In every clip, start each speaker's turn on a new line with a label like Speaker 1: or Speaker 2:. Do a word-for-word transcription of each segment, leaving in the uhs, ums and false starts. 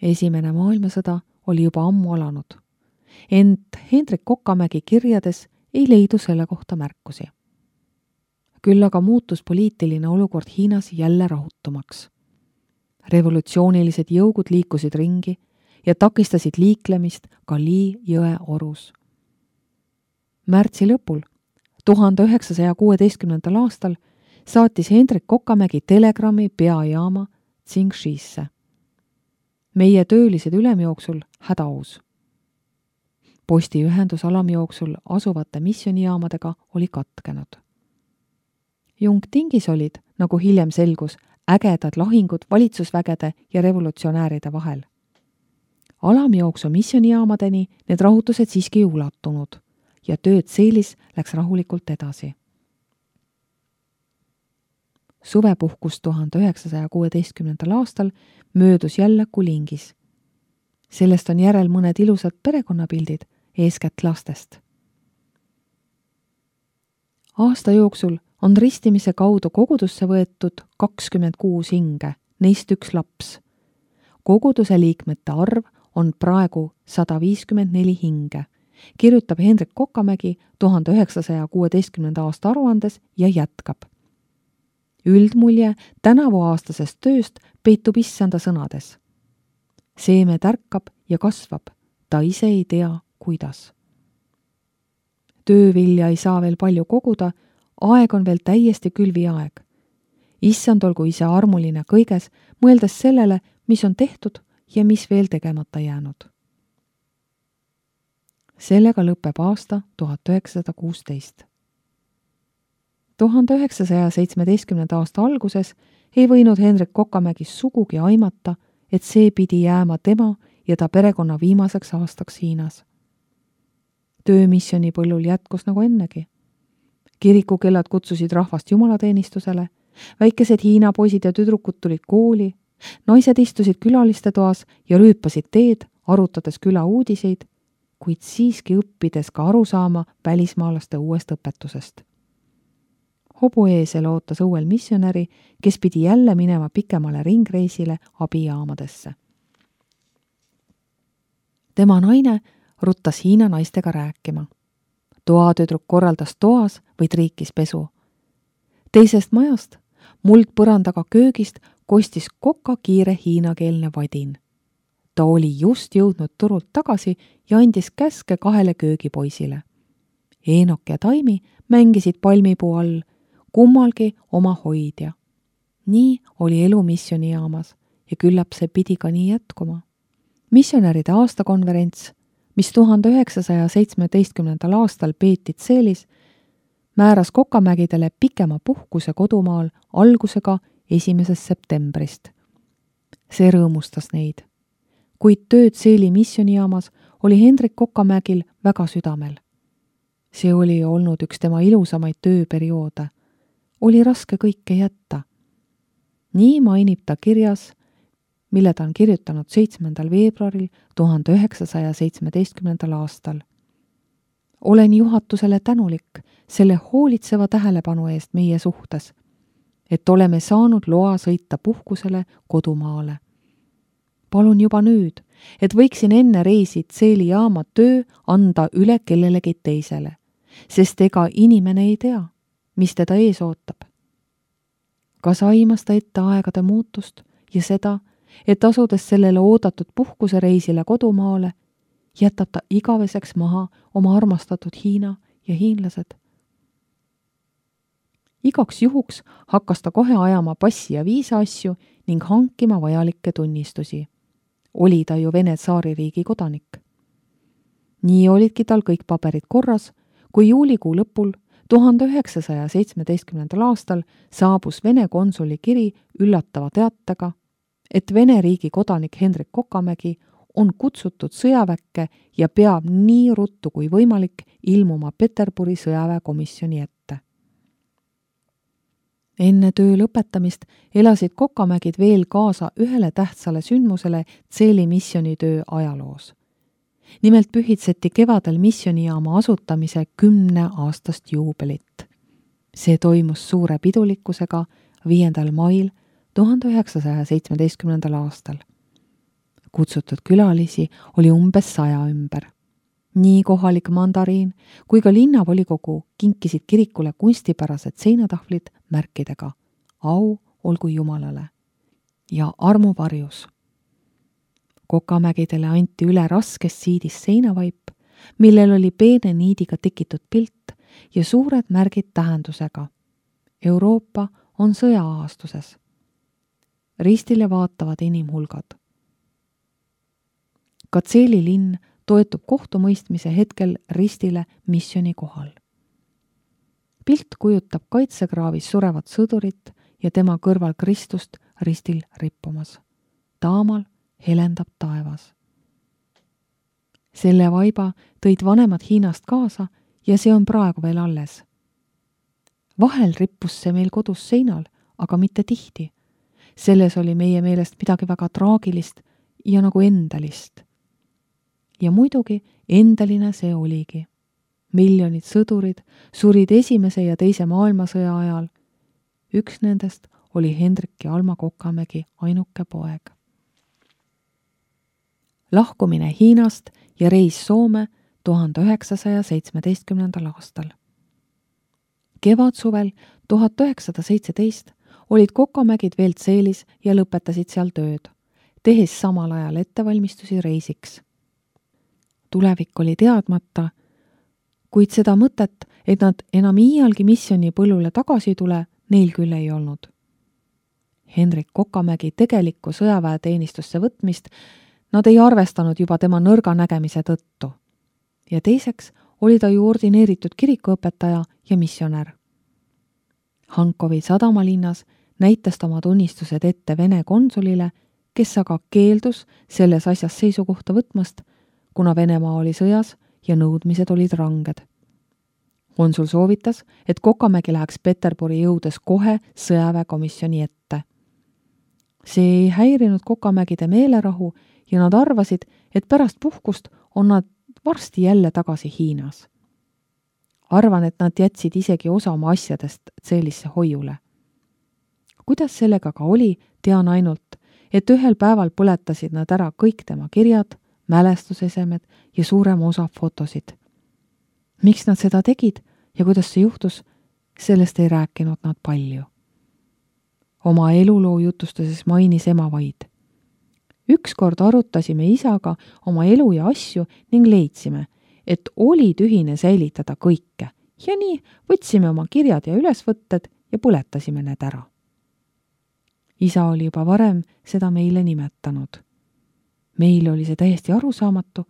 Speaker 1: Esimene maailmasõda oli juba ammu alanud. Ent Hendrik Kokamägi kirjades ei leidu selle kohta märkusi. Küll aga muutus poliitiline olukord Hiinas jälle rahutumaks. Revolutsioonilised jõugud liikusid ringi ja takistasid liiklemist ka Li jõe orus. Märtsi lõpul, tuhande üheksasaja kuueteistkümnendal aastal, saatis Hendrik Kokamägi telegrammi peajaama Tsingshisse. Meie töölised ülemjooksul hädaus. Postiühendus alamjooksul asuvate missionijaamadega oli katkenud. Jungtingis olid, nagu hiljem selgus, ägedad lahingud valitsusvägede ja revolutsionääride vahel. Alamjooksu missionijaamadeni need rahutused siiski ei ulatunud ja tööd Seelis läks rahulikult edasi. Suvepuhkus tuhande üheksasaja kuueteistkümnendal aastal möödus jälle Kulingis. Sellest on järel mõned ilusad perekonnapildid, eeskätt lastest. Aasta jooksul on ristimise kaudu kogudusse võetud kakskümmend kuus hinge, neist üks laps. Koguduse liikmete arv on praegu sada viiskümmend neli hinge, kirjutab Hendrik Kokamägi tuhande üheksasaja kuueteistkümnenda aasta aruandes ja jätkab. Üldmulje tänavuaastasest tööst peitub issanda sõnades. Seeme tärkab ja kasvab, ta ise ei tea, kuidas. Töövilja ei saa veel palju koguda, aeg on veel täiesti külvi aeg. Issand olgu ise armuline kõiges, mõeldes sellele, mis on tehtud ja mis veel tegemata jäänud. Sellega lõpeb aasta tuhat üheksasada kuusteist. tuhande üheksasaja seitsmeteistkümnenda aasta alguses ei võinud Hendrik Kokamägi sugugi aimata, et see pidi jääma tema ja ta perekonna viimaseks aastaks Hiinas. Töömissioni põllul jätkus nagu ennegi. Kirikukellad kutsusid rahvast jumalateenistusele, väikesed Hiina poisid ja tüdrukud tulid kooli, naised istusid külaliste toas ja rüüpasid teed, arutades küla uudiseid, kuid siiski õppides ka aru saama välismaalaste uuest õpetusest. Hobueesel ootas õuel missionäri, kes pidi jälle minema pikemale ringreisile abijaamadesse. Tema naine ruttas Hiina naistega rääkima. Toatüdruk korraldas toas või triikis pesu. Teisest majast, muldpõrandaga köögist, kostis Koka kiire hiinakeelne vadin. Ta oli just jõudnud turult tagasi ja andis käske kahele köögipoisile. Eenok ja Taimi mängisid palmipuu all, kummalgi oma hoidja. Nii oli elu missionijaamas ja küllap see pidi ka nii jätkuma. Missionäride aastakonverents, mis tuhande üheksasaja seitsmeteistkümnendal aastal peeti Seelis, määras Kokamägidele pikema puhkuse kodumaal algusega esimesest septembrist. See rõõmustas neid. Kuid tööd Seeli missionijaamas oli Hendrik Kokamägil väga südamel. See oli olnud üks tema ilusamaid tööperioode. Oli raske kõike jätta. Nii mainib ta kirjas, mille ta on kirjutanud seitsmendal veebruaril tuhande üheksasaja seitsmeteistkümnendal aastal. Olen juhatusele tänulik selle hoolitseva tähelepanu eest meie suhtes, et oleme saanud loa sõita puhkusele kodumaale. Palun juba nüüd, et võiksin enne reisi Seeli jaama töö anda üle kellelegi teisele, sest ega inimene ei tea, mis teda ees ootab. Kas aimas ta ette aegade muutust ja seda, et asudes sellele oodatud puhkusereisile kodumaale, jätab ta igaveseks maha oma armastatud Hiina ja hiinlased. Igaks juhuks hakkas ta kohe ajama passi ja viisa asju ning hankima vajalikke tunnistusi. Oli ta ju Vene tsaaririigi kodanik. Nii olidki tal kõik paberid korras, kui juulikuu lõpul tuhande üheksasaja seitsmeteistkümnendal aastal saabus Vene konsuli kiri üllatava teatega, et Vene riigi kodanik Hendrik Kokamägi on kutsutud sõjaväkke ja peab nii ruttu kui võimalik ilmuma Peterburi sõjaväekomisjoni ette. Enne töö lõpetamist elasid Kokamägid veel kaasa ühele tähtsale sündmusele Seeli missionitöö ajaloos. Nimelt pühitseti kevadel missionijaama asutamise kümne aastast juubelit. See toimus suure pidulikkusega viiendal mail tuhande üheksasaja seitsmeteistkümnendal aastal. Kutsutud külalisi oli umbes saja ümber. Nii kohalik mandariin kui ka linnavolikogu kinkisid kirikule kunstipärased seinatahvlid märkidega au olgu Jumalale ja armu varjus. Kokamägidele anti üle raskest siidist seinavaip, millel oli peene niidiga tekitud pilt ja suured märgid tähendusega. Euroopa on sõja-aastuses. Ristile vaatavad inimhulgad. Katseeli linn toetub kohtumõistmise hetkel ristile missiooni kohal. Pilt kujutab kaitsekraavis surevat sõdurit ja tema kõrval Kristust ristil rippumas. Taamal helendab taevas. Selle vaiba tõid vanemad Hiinast kaasa ja see on praegu veel alles. Vahel rippus see meil kodus seinal, aga mitte tihti. Selles oli meie meelest midagi väga traagilist ja nagu endalist. Ja muidugi endaline see oligi. Miljonid sõdurid surid esimese ja teise maailmasõja ajal. Üks nendest oli Hendrik ja Alma Kokamägi ainuke poeg. Lahkumine Hiinast ja reis Soome tuhande üheksasaja seitsmeteistkümnendal aastal. Kevadsuvel tuhat üheksasada seitseteist olid Kokamägid veel Tseelis ja lõpetasid seal tööd, tehes samal ajal ettevalmistusi reisiks. Tulevik oli teadmata, kuid seda mõtet, et nad enam iialgi missiooni põllule tagasi tule, neil küll ei olnud. Hendrik Kokamägi tegelikku sõjaväeteenistusse võtmist nad ei arvestanud juba tema nõrga nägemise tõttu. Ja teiseks oli ta ju ordineeritud kirikuõpetaja ja missionär. Hankovi sadamalinnas näitas ta oma tunnistused ette Vene konsulile, kes aga keeldus selles asjas seisukohta võtmast, kuna Venemaa oli sõjas ja nõudmised olid ranged. Konsul soovitas, et Kokamägi läheks Peterburi jõudes kohe sõjaväekomisjoni ette. See ei häirinud Kokamägide meelerahu ja nad arvasid, et pärast puhkust on nad varsti jälle tagasi Hiinas. Arvan, et nad jätsid isegi osa oma asjadest Tseelisse hoiule. Kuidas sellega ka oli, tean ainult, et ühel päeval põletasid nad ära kõik tema kirjad, mälestusesemed ja suurema osa fotosid. Miks nad seda tegid ja kuidas see juhtus, sellest ei rääkinud nad palju. Oma eluloo jutustuses mainis ema vaid. Ükskord arutasime isaga oma elu ja asju ning leidsime, et oli tühine säilitada kõike ja nii võtsime oma kirjad ja ülesvõtted ja põletasime need ära. Isa oli juba varem seda meile nimetanud. Meil oli see täiesti arusaamatu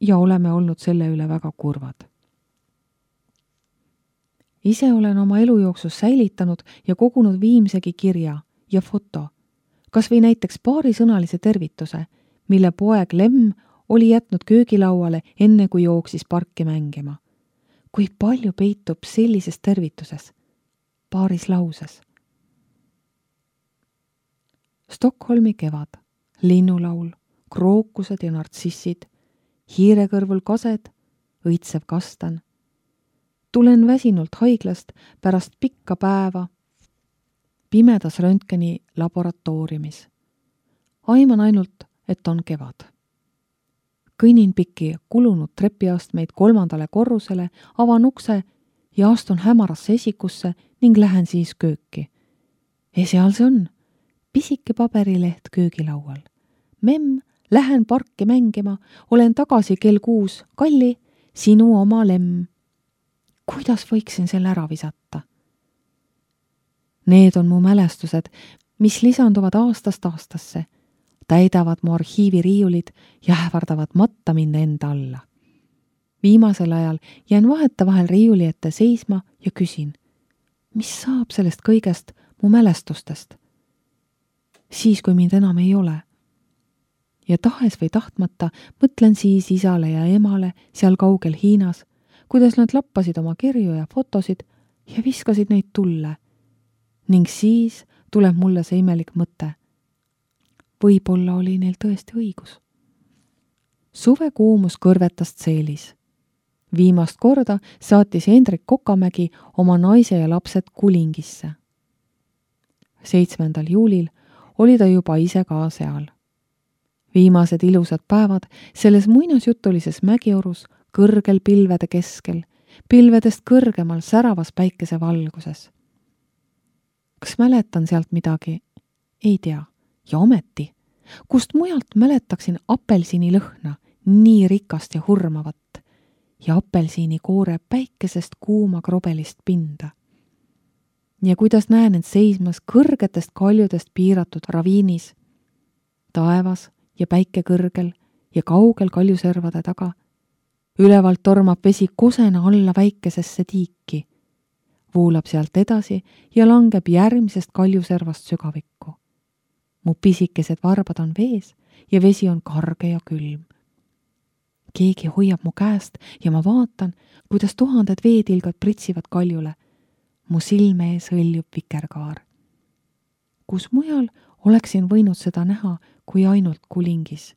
Speaker 1: ja oleme olnud selle üle väga kurvad. Ise olen oma elu jooksus säilitanud ja kogunud viimsegi kirja ja foto, kas või näiteks paarisõnalise tervituse, mille poeg Lemm oli jätnud köögilauale enne kui jooksis parki mängima. Kui palju peitub sellises tervituses, paaris lauses. Stockholmi kevad, linnulaul, krookused ja nartsissid, hiirekõrvul kased, õitsev kastan. Tulen väsinult haiglast pärast pikka päeva pimedas röntgeni laboratooriumis. Aiman ainult, et on kevad. Kõnnin pikki kulunud trepiastmeid kolmandale korrusele, avan ukse ja astun hämarasse esikusse ning lähen siis kööki. Ja seal see on, pisike paberileht köögilaual. Memm, lähen parki mängima, olen tagasi kell kuus, Kalli, sinu oma Lemm. Kuidas võiksin selle ära visata? Need on mu mälestused, mis lisanduvad aastast aastasse, täidavad mu arhiiviriiulid ja ähvardavad matta minna enda alla. Viimasel ajal jään vaheta vahel riiuli ette seisma ja küsin, mis saab sellest kõigest mu mälestustest? Siis, kui mind enam ei ole. Ja tahes või tahtmata mõtlen siis isale ja emale seal kaugel Hiinas, kuidas nad lappasid oma kirju ja fotosid ja viskasid neid tulle. Ning siis tuleb mulle see imelik mõte. Võib-olla oli neil tõesti õigus. Suvekuumus kõrvetas Tseelis. Viimast korda saatis Hendrik Kokamägi oma naise ja lapsed Kulingisse. seitsmendal juulil oli ta juba ise ka seal. Viimased ilusad päevad selles muinasjutulises mägiorus kõrgel pilvede keskel, pilvedest kõrgemal säravas päikese valguses. Kas mäletan sealt midagi? Ei tea. Ja ometi, kust mujalt mäletaksin apelsini lõhna, nii rikast ja hurmavat, ja apelsini koore päikesest kuuma krobelist pinda. Ja kuidas näen end seismas kõrgetest kaljudest piiratud raviinis, taevas ja päike kõrgel ja kaugel kaljuservade taga, ülevalt tormab vesi kosena alla väikesesse tiiki, voolab sealt edasi ja langeb järgmisest kaljuservast sügavikku. Mu pisikesed varbad on vees ja vesi on karge ja külm. Keegi hoiab mu käest ja ma vaatan, kuidas tuhanded veetilgad pritsivad kaljule. Mu silme ees hõljub vikerkaar. Kus mujal oleksin võinud seda näha kui ainult Kulingis.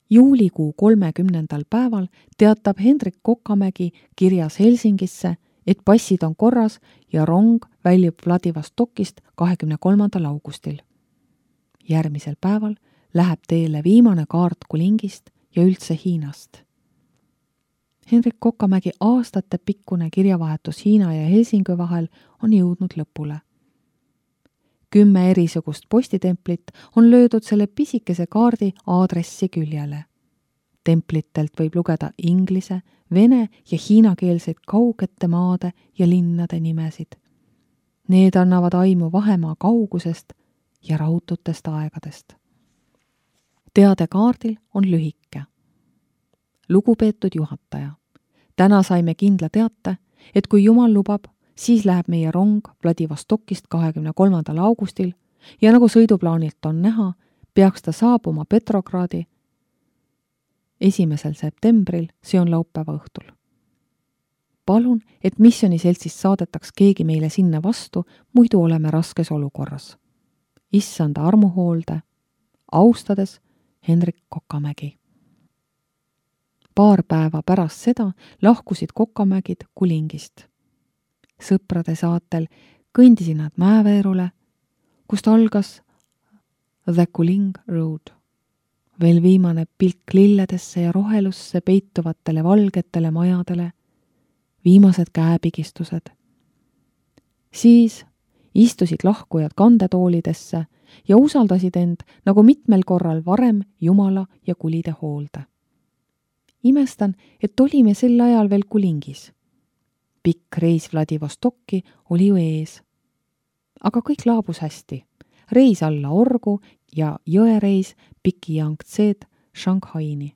Speaker 1: Juulikuu kolmekümnendal päeval teatab Hendrik Kokamägi kirjas Helsingisse, et passid on korras ja rong väljub Vladivostokist kahekümne kolmandal augustil. Järgmisel päeval läheb teele viimane kaart Kulingist ja üldse Hiinast. Hendrik Kokamägi aastate pikkune kirjavahetus Hiina ja Helsingi vahel on jõudnud lõpule. Kümme erisugust postitemplit on löödud selle pisikese kaardi aadressi küljele. Templitelt võib lugeda inglise, vene ja hiinakeelseid kaugete maade ja linnade nimesid. Need annavad aimu vahemaa kaugusest ja raudutest aegadest. Teade kaardil on lühike. Lugupeetud juhataja, täna saime kindla teate, et kui Jumal lubab, siis läheb meie rong Vladivostokist kahekümne kolmandal augustil ja nagu sõiduplaanilt on näha, peaks ta saabuma Petrogradi esimesel septembril, see on laupäeva õhtul. Palun, et missiooniseltsist saadetaks keegi meile sinna vastu, muidu oleme raskes olukorras. Issanda armuhoolde, austades Hendrik Kokamägi. Paar päeva pärast seda lahkusid Kokamägid Kulingist. Sõprade saatel kõndisid nad Mäeveerule, kust algas The Kuling Road. Veel viimane pilk lilledesse ja rohelusse peituvatele valgetele majadele, viimased käepigistused. Siis istusid lahkujad kandetoolidesse ja usaldasid end nagu mitmel korral varem Jumala ja kulide hoolde. Imestan, et olime sel ajal veel Kulingis. Pikk reis Vladivostokki oli ju ees. Aga kõik laabus hästi. Reis alla orgu ja jõereis Piki Yangtzeed Shanghaini.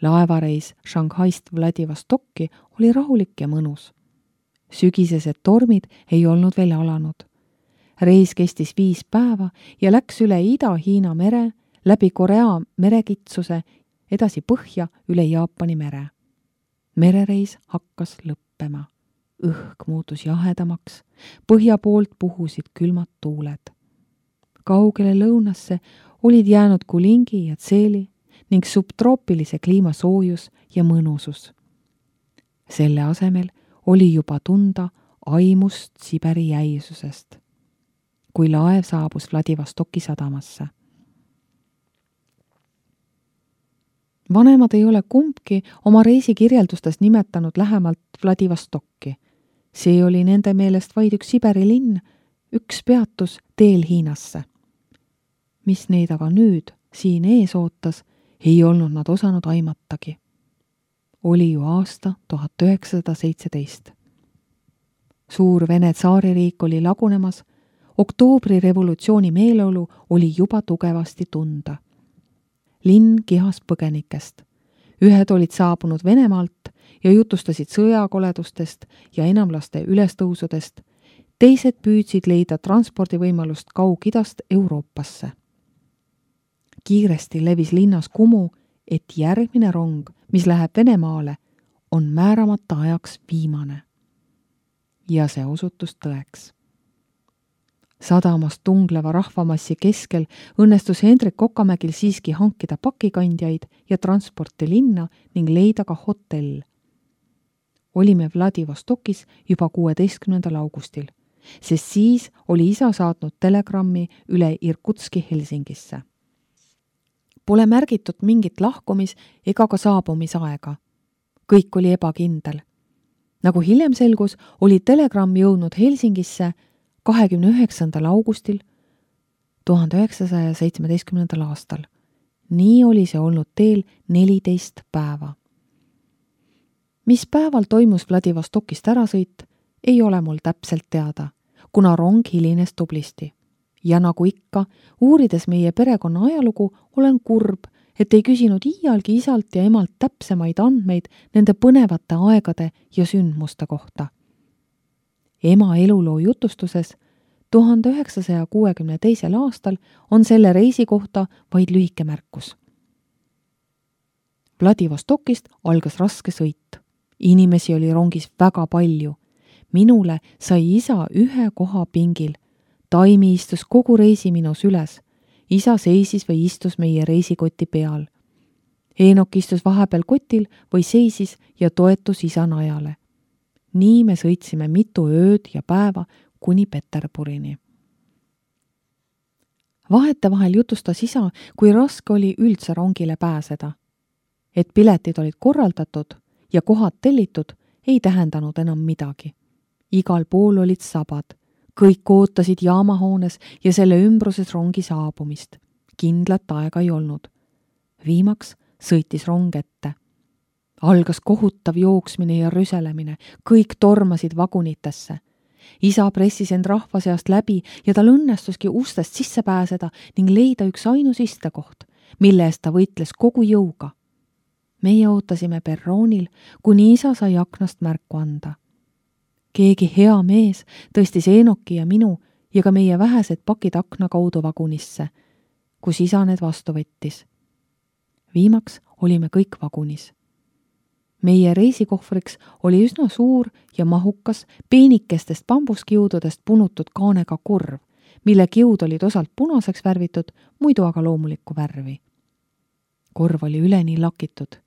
Speaker 1: Laevareis Shanghaist Vladivostokki oli rahulik ja mõnus. Sügisesed tormid ei olnud veel alanud. Reis kestis viis päeva ja läks üle Ida-Hiina mere, läbi Korea merekitsuse, edasi põhja üle Jaapani mere. Merereis hakkas lõppema. Õhk muutus jahedamaks, põhja poolt puhusid külmad tuuled. Kaugele lõunasse olid jäänud Kulingi ja Tseeli ning subtroopilise kliima soojus ja mõnusus. Selle asemel oli juba tunda aimust Siberi jäisusest, kui laev saabus Vladivostoki sadamasse. Vanemad ei ole kumbki oma reisikirjeldustes nimetanud lähemalt Vladivostokki. See oli nende meelest vaid üks Siberi linn, üks peatus teel Hiinasse. Mis neid aga nüüd siin ees ootas, ei olnud nad osanud aimatagi. Oli ju aasta tuhat üheksasada seitseteist. Suur Vene tsaaririik oli lagunemas, oktoobri revolutsiooni meeleolu oli juba tugevasti tunda. Linn kihas põgenikest. Ühed olid saabunud Venemaalt ja jutustasid sõjakoledustest ja enamlaste ülestõusudest, teised püüdsid leida transpordivõimalust Kaug-Idast Euroopasse. Kiiresti levis linnas kumu, et järgmine rong, mis läheb Venemaale, on määramata ajaks viimane. Ja see osutus tõeks. Sadamast tungleva rahvamassi keskel õnnestus Hendrik Kokamägil siiski hankida pakikandjaid ja transporti linna ning leida ka hotell. Olime Vladivostokis juba kuueteistkümnendal augustil sest siis oli isa saatnud telegrammi üle Irkutski Helsingisse. Pole märgitud mingit lahkumis ega ka saabumisaega. Kõik oli ebakindel. Nagu hiljem selgus, oli telegramm jõudnud Helsingisse kahekümne üheksandal augustil tuhande üheksasaja seitsmeteistkümnendal aastal. Nii oli see olnud teel neliteist päeva. Mis päeval toimus Vladivostokist ärasõit, ei ole mul täpselt teada, kuna rong hilines tublisti. Ja nagu ikka, uurides meie perekonna ajalugu, olen kurb, et ei küsinud iialgi isalt ja emalt täpsemaid andmeid nende põnevate aegade ja sündmuste kohta. Ema eluloo jutustuses tuhande üheksasaja kuuekümne teisel aastal on selle reisi kohta vaid lühike märkus. Vladivostokist algas raske sõit. Inimesi oli rongis väga palju. Minule sai isa ühe koha pingil. Taimi istus kogu reisi minu süles. Isa seisis või istus meie reisikoti peal. Eenok istus vahepeal kotil või seisis ja toetus isa najale. Nii me sõitsime mitu ööd ja päeva kuni Peterburini. Vahetevahel jutustas isa, kui raske oli üldse rongile pääseda. Et piletid olid korraldatud ja kohad tellitud, ei tähendanud enam midagi. Igal pool olid sabad. Kõik ootasid jaamahoones ja selle ümbruses rongi saabumist. Kindlat aega ei olnud. Viimaks sõitis rong ette. Algas kohutav jooksmine ja rüselemine. Kõik tormasid vagunitesse. Isa pressis end rahva seast läbi ja tal õnnestuski ustest sisse pääseda ning leida üks ainus istekoht, mille eest ta võitles kogu jõuga. Meie ootasime perroonil, kuni isa sai aknast märku anda. Keegi hea mees tõstis Eenoki ja minu ja ka meie vähesed pakid akna kaudu vagunisse, kus isa need vastu võttis. Viimaks olime kõik vagunis. Meie reisikohvriks oli üsna suur ja mahukas peenikestest bambuskiududest punutud kaanega korv, mille kiud olid osalt punaseks värvitud, muidu aga loomulikku värvi. Korv oli üleni lakitud.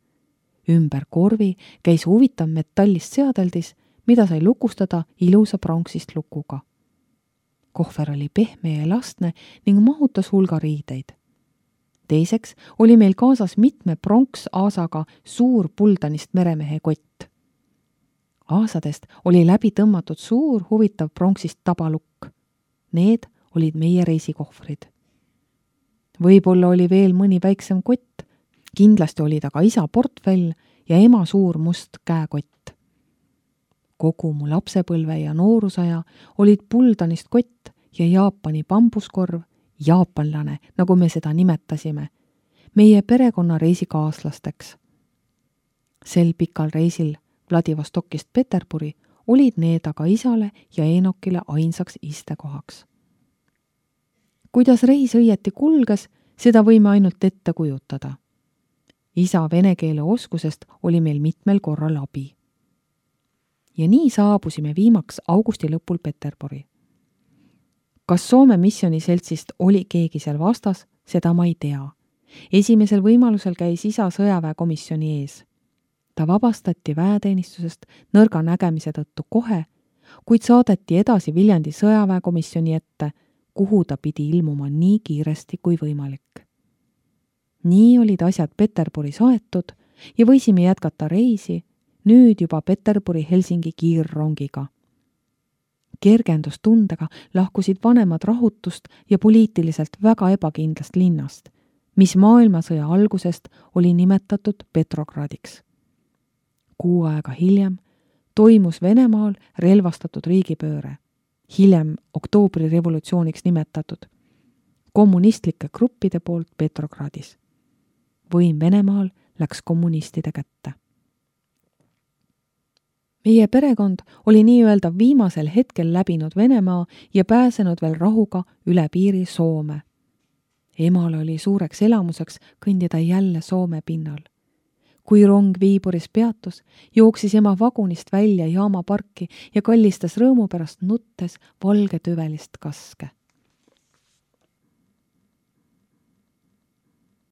Speaker 1: Ümber korvi käis huvitav metallist seadeldis, mida sai lukustada ilusa pronksist lukuga. Kohver oli pehme ja elastne ning mahutas hulga riideid. Teiseks oli meil kaasas mitme pronks-aasaga suur puldanist meremehe kott. Aasadest oli läbi tõmmatud suur huvitav pronksist tabalukk. Need olid meie reisikohvrid. Võib-olla oli veel mõni väiksem kott, kindlasti oli ta ka isa portfell ja ema suur must käekott. Kogu mu lapsepõlve ja noorusaja olid puldanist kott ja Jaapani bambuskorv, jaapanlane, nagu me seda nimetasime, meie perekonna reisikaaslasteks. Sel pikal reisil Vladivostokist Peterburi olid need aga isale ja Eenokile ainsaks istekohaks. Kuidas reis õieti kulges, seda võime ainult ette kujutada. Isa vene keele oskusest oli meil mitmel korral abi. Ja nii saabusime viimaks augusti lõpul Peterburi. Kas Soome missiooniseltsist oli keegi seal vastas, seda ma ei tea. Esimesel võimalusel käis isa sõjaväekomisjoni ees. Ta vabastati väeteenistusest nõrga nägemise tõttu kohe, kuid saadeti edasi Viljandi sõjaväekomisjoni ette, kuhu ta pidi ilmuma nii kiiresti kui võimalik. Nii olid asjad Peterburis aetud ja võisime jätkata reisi, nüüd juba Peterburi-Helsingi kiirrongiga. Kergendustundega lahkusid vanemad rahutust ja poliitiliselt väga ebakindlast linnast, mis maailmasõja algusest oli nimetatud Petrogradiks. Kuu aega hiljem toimus Venemaal relvastatud riigipööre, hiljem oktoobri revolutsiooniks nimetatud, kommunistlike gruppide poolt Petrogradis. Võim Venemaal läks kommunistide kätte. Meie perekond oli nii-öelda viimasel hetkel läbinud Venemaa ja pääsenud veel rahuga üle piiri Soome. Emal oli suureks elamuseks kõndida jälle Soome pinnal. Kui rong Viiburis peatus, jooksis ema vagunist välja jaamaparki ja kallistas rõõmu pärast nuttes valge tüvelist kaske.